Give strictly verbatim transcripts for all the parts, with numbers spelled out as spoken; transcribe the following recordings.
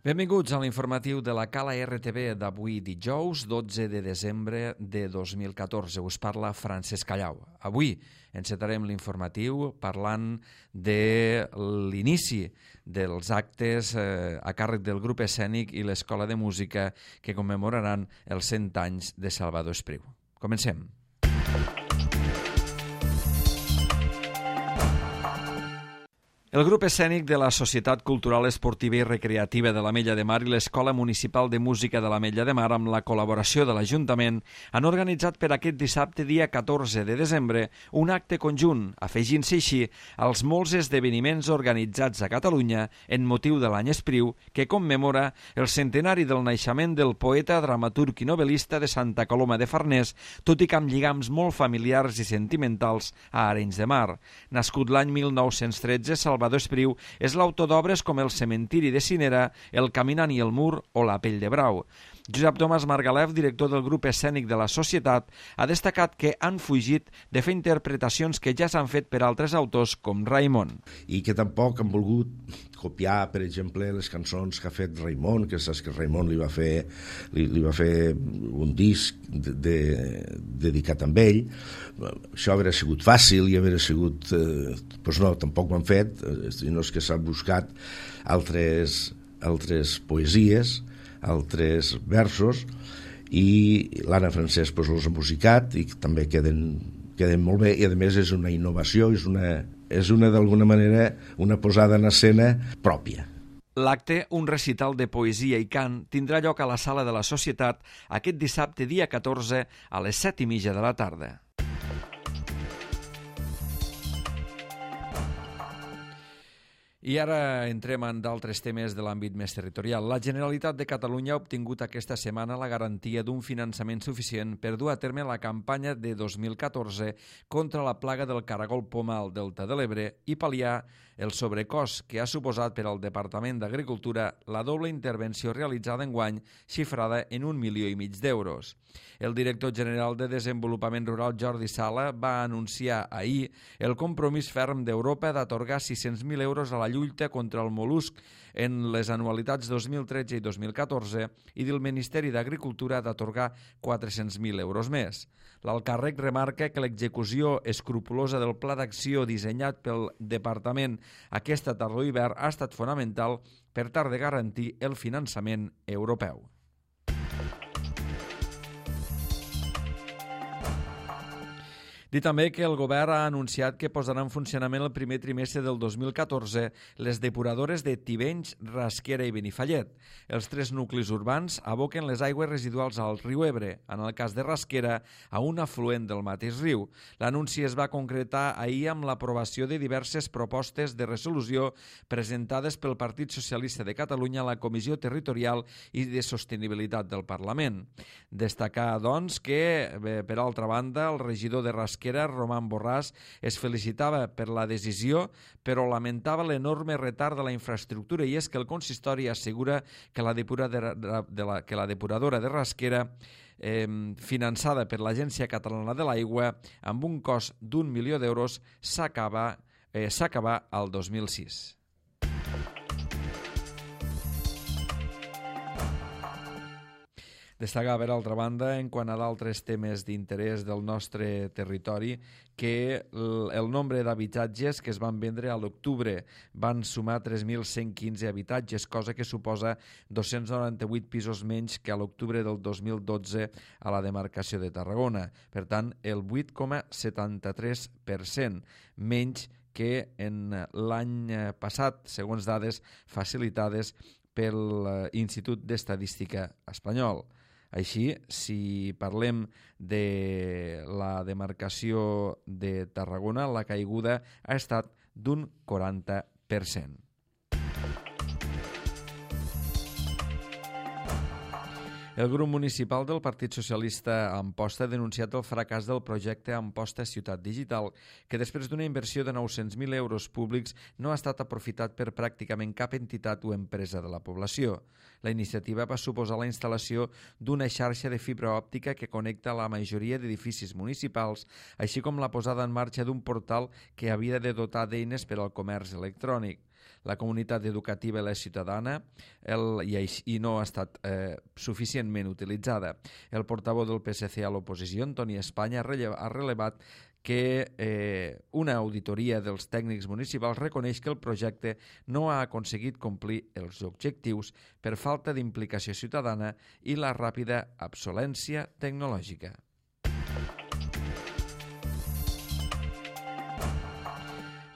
Benvinguts a l'informatiu de la Cala R T V d'avui dijous, dotze de desembre de dos mil catorze. Us parla Francesc Callau. Avui encetarem l'informatiu parlant de l'inici dels actes eh, a càrrec del grup escènic i l'Escola de Música que commemoraran els cent anys de Salvador Espriu. Comencem. El grup escènic de la Societat Cultural Esportiva i Recreativa de l'Ametlla de Mar i l'Escola Municipal de Música de l'Ametlla de Mar, amb la col·laboració de l'Ajuntament, han organitzat per aquest dissabte, dia catorze de desembre, un acte conjunt, afegint-se així als molts esdeveniments organitzats a Catalunya en motiu de l'any Espriu, que commemora el centenari del naixement del poeta, dramaturg i novel·lista de Santa Coloma de Farners, tot i que amb lligams molt familiars i sentimentals a Arenys de Mar. Nascut l'any mil nou-cents tretze, Salvador Espriu és l'autor d'obres com El cementiri de Cinera, El caminant i el mur o La pell de brau. Josep Tomàs Margalef, director del grup escènic de la Societat, ha destacat que han fugit de fer interpretacions que ja s'han fet per altres autors com Raimon. I que tampoc han volgut copiar, per exemple, les cançons que ha fet Raimon, que saps que Raimon li va fer, li, li va fer un disc de, de, dedicat a ell. Això hauria sigut fàcil i hauria sigut... Eh, doncs no, tampoc ho han fet, eh, no és que s'han buscat altres, altres poesies, altres versos, i l'Anna Francesc doncs, els ha musicat i també queden, queden molt bé, i a més és una innovació, és una, és una d'alguna manera una posada en escena pròpia. L'acte, un recital de poesia i cant, tindrà lloc a la Sala de la Societat aquest dissabte, dia catorze, a les set i mitja de la tarda. I ara entrem en d'altres temes de l'àmbit més territorial. La Generalitat de Catalunya ha obtingut aquesta setmana la garantia d'un finançament suficient per dur a terme la campanya de dos mil catorze contra la plaga del caragol poma al Delta de l'Ebre i pal·liar el sobrecost que ha suposat per al Departament d'Agricultura la doble intervenció realitzada enguany, xifrada en un milió i mig d'euros. El director general de Desenvolupament Rural, Jordi Sala, va anunciar ahir el compromís ferm d'Europa d'atorgar sis-cents mil euros a la lluita contra el mol·lusc en les anualitats dos mil tretze i dos mil catorze i del Ministeri d'Agricultura d'atorgar quatre-cents mil euros més. L'alcàrrec remarca que l'execució escrupulosa del pla d'acció dissenyat pel Departament aquesta tardor-hivern ha estat fonamental per tal de garantir el finançament europeu. Dir també que el govern ha anunciat que posarà en funcionament el primer trimestre del dos mil catorze les depuradores de Tivenys, Rasquera i Benifallet. Els tres nuclis urbans aboquen les aigües residuals al riu Ebre, en el cas de Rasquera, a un afluent del mateix riu. L'anunci es va concretar ahir amb l'aprovació de diverses propostes de resolució presentades pel Partit Socialista de Catalunya a la Comissió Territorial i de Sostenibilitat del Parlament. Destacar, doncs, que, per altra banda, el regidor de Rasquera, Roman Borràs, es felicitava per la decisió, però lamentava l'enorme retard de la infraestructura, i és que el consistori assegura que la depuradora de, la, que la depuradora de Rasquera, eh, finançada per l'Agència Catalana de l'Aigua, amb un cost d'un milió d'euros, s'acaba eh, s'acaba al dos mil sis. Destacar, per altra banda, en quant a d'altres temes d'interès del nostre territori, que el nombre d'habitatges que es van vendre a l'octubre van sumar tres mil cent quinze habitatges, cosa que suposa dos-cents noranta-vuit pisos menys que a l'octubre del dos mil dotze a la demarcació de Tarragona. Per tant, el vuit coma setanta-tres per cent menys que en l'any passat, segons dades facilitades pel Institut d'Estadística espanyol. Així, si parlem de la demarcació de Tarragona, la caiguda ha estat d'un quaranta per cent. El grup municipal del Partit Socialista a Amposta ha denunciat el fracàs del projecte Amposta Ciutat Digital, que després d'una inversió de nou-cents mil euros públics no ha estat aprofitat per pràcticament cap entitat o empresa de la població. La iniciativa va suposar la instal·lació d'una xarxa de fibra òptica que connecta la majoria d'edificis municipals, així com la posada en marxa d'un portal que havia de dotar d'eines per al comerç electrònic. la comunitat educativa i la ciutadana el, i, i no ha estat eh, suficientment utilitzada. El portaveu del P S C a l'oposició, Antoni Espanya, ha, relleva, ha relevat que eh, una auditoria dels tècnics municipals reconeix que el projecte no ha aconseguit complir els objectius per falta d'implicació ciutadana i la ràpida obsolescència tecnològica.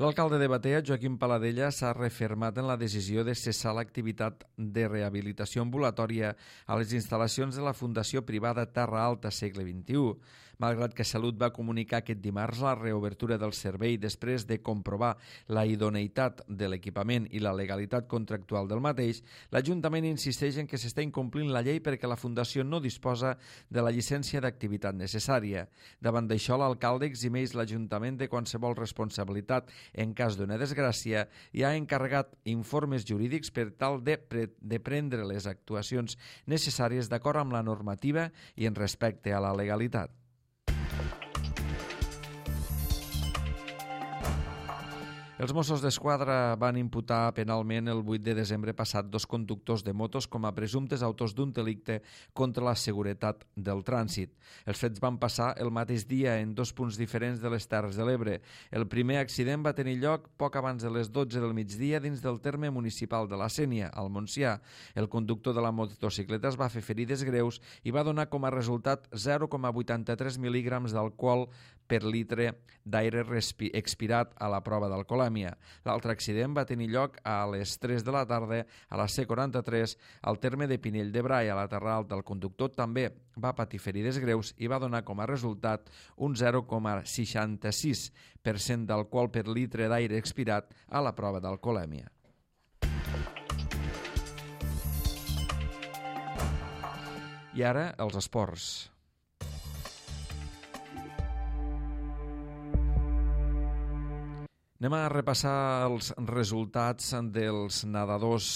L'alcalde de Batea, Joaquim Paladella, s'ha refermat en la decisió de cessar l'activitat de rehabilitació ambulatòria a les instal·lacions de la Fundació Privada Terra Alta Segle vint-i-u. Malgrat que Salut va comunicar aquest dimarts la reobertura del servei després de comprovar la idoneïtat de l'equipament i la legalitat contractual del mateix, l'Ajuntament insisteix en que s'està incomplint la llei perquè la Fundació no disposa de la llicència d'activitat necessària. Davant d'això, l'alcalde eximeix l'Ajuntament de qualsevol responsabilitat en cas d'una desgràcia i ha encarregat informes jurídics per tal de, pre de prendre les actuacions necessàries d'acord amb la normativa i en respecte a la legalitat. Els Mossos d'Esquadra van imputar penalment el vuit de desembre passat dos conductors de motos com a presumptes autors d'un delicte contra la seguretat del trànsit. Els fets van passar el mateix dia en dos punts diferents de les Terres de l'Ebre. El primer accident va tenir lloc poc abans de les dotze del migdia dins del terme municipal de la Sénia, al Montsià. El conductor de la motocicleta es va fer ferides greus i va donar com a resultat zero coma vuitanta-tres mil·lígrams d'alcohol per litre d'aire expirat a la prova d'alcoholèmia. L'altre accident va tenir lloc a les tres de la tarda a la C quaranta-tres al terme de Pinell de Brai, a la Terra Alta. El conductor també va patir ferides greus i va donar com a resultat un zero coma seixanta-sis per cent d'alcohol per litre d'aire expirat a la prova d'alcoholèmia. I ara, els esports. Anem a repassar els resultats dels nedadors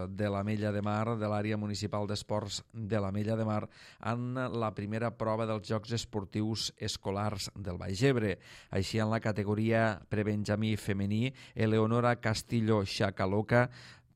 de l'Ametlla de Mar, de l'àrea municipal d'esports de l'Ametlla de Mar, en la primera prova dels Jocs Esportius Escolars del Baix Ebre. Així, en la categoria prebenjamí femení, Eleonora Castillo Xacaloca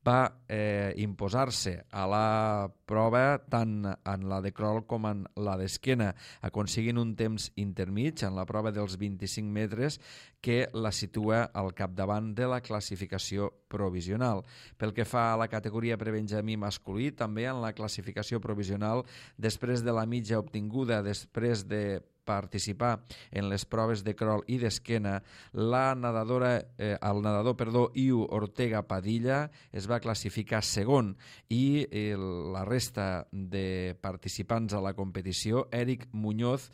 va eh, imposar-se a la prova tant en la de crawl com en la d'esquena, aconseguint un temps intermig en la prova dels vint-i-cinc metres que la situa al capdavant de la classificació provisional. Pel que fa a la categoria prebenjamí masculí, també en la classificació provisional, després de la mitja obtinguda després de participar en les proves de crawl i d'esquena, la nedadora, eh, el nedador, perdó, Iu Ortega Padilla es va classificar segon i eh, la resta de participants a la competició, Eric Muñoz,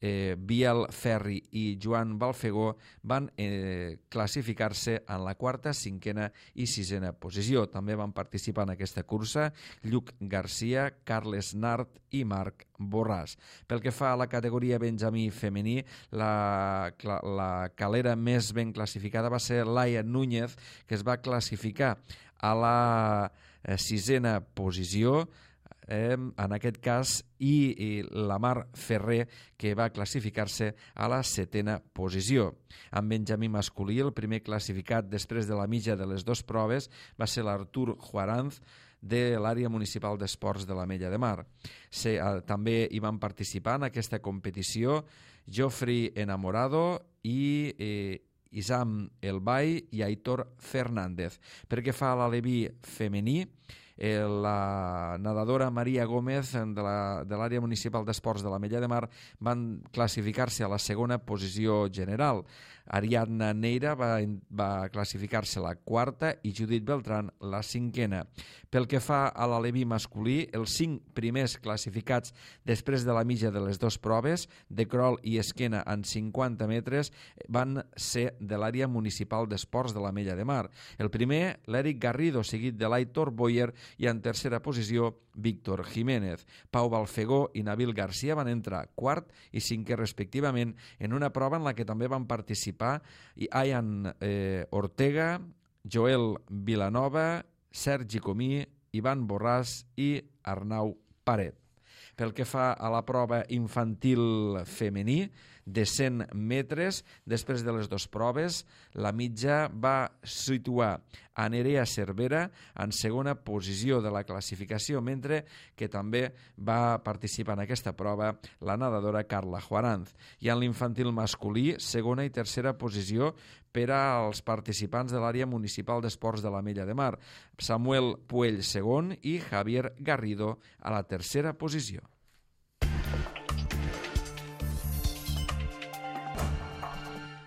Eh, Biel Ferri i Joan Balfegó, van eh, classificar-se en la quarta, cinquena i sisena posició. També van participar en aquesta cursa Lluc Garcia, Carles Nart i Marc Borràs. Pel que fa a la categoria benjamí femení, la, la calera més ben classificada va ser Laia Núñez, que es va classificar a la eh, sisena posició, Eh, en aquest cas, i, i la Mar Ferrer, que va classificar-se a la setena posició. En benjamí masculí, el primer classificat després de la mitja de les dues proves va ser l'Artur Juaranz, de l'àrea municipal d'esports de l'Ametlla de Mar. Se, eh, també hi van participar en aquesta competició Jofri Enamorado i eh, Isam Elbai i Aitor Fernández. Perquè fa a l'aleví femení, eh, la nedadora Maria Gómez de l'àrea municipal d'esports de l'Ametlla de Mar van classificar-se a la segona posició general. Ariadna Neira va, va classificar-se la quarta i Judit Beltrán la cinquena. Pel que fa a l'aleví masculí, els cinc primers classificats després de la mitja de les dues proves, de crawl i esquena en cinquanta metres, van ser de l'àrea municipal d'esports de l'Ametlla de Mar. El primer, l'Eric Garrido, seguit de l'Aitor Boyer, i en tercera posició, Víctor Jiménez. Pau Balfegó i Nabil Garcia van entrar quart i cinquè respectivament en una prova en la que també van participar Ian eh, Ortega, Joel Vilanova, Sergi Comí, Ivan Borràs i Arnau Paret. Pel que fa a la prova infantil femení, de cent metres. Després de les dues proves, la mitja va situar a Nerea Cervera en segona posició de la classificació, mentre que també va participar en aquesta prova la nedadora Carla Juaranz. I en l'infantil masculí, segona i tercera posició per als participants de l'àrea municipal d'esports de l'Ametlla de Mar. Samuel Puell segon i Javier Garrido a la tercera posició.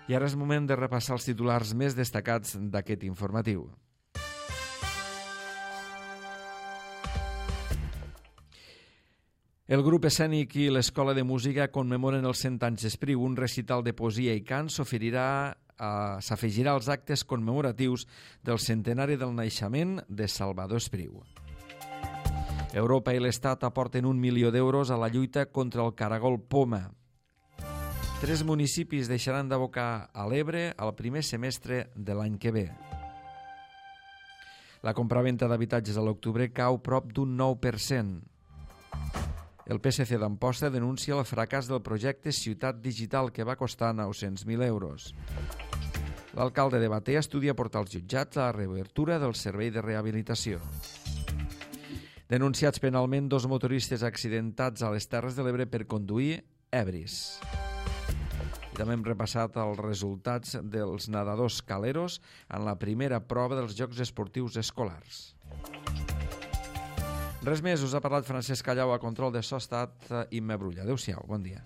I ara és moment de repassar els titulars més destacats d'aquest informatiu. El grup escènic i l'Escola de Música commemoren els cent anys d'Espriu. Un recital de poesia i cant s'oferirà s'afegirà als actes commemoratius del centenari del naixement de Salvador Espriu. Europa i l'Estat aporten un milió d'euros a la lluita contra el caragol poma. Tres municipis deixaran d'abocar a l'Ebre al primer semestre de l'any que ve. La compraventa d'habitatges a l'octubre cau prop d'un nou per cent. El P S C d'Amposta denuncia el fracàs del projecte Ciutat Digital, que va costar nou-cents mil euros. L'alcalde de Batea estudia portar als jutjats la reobertura del servei de rehabilitació. Denunciats penalment dos motoristes accidentats a les Terres de l'Ebre per conduir ebris. I també hem repassat els resultats dels nedadors caleros en la primera prova dels Jocs Esportius Escolars. Res més, us ha parlat Francesc Callau a control de so, estat Imma Brulla. Adéu-siau, bon dia.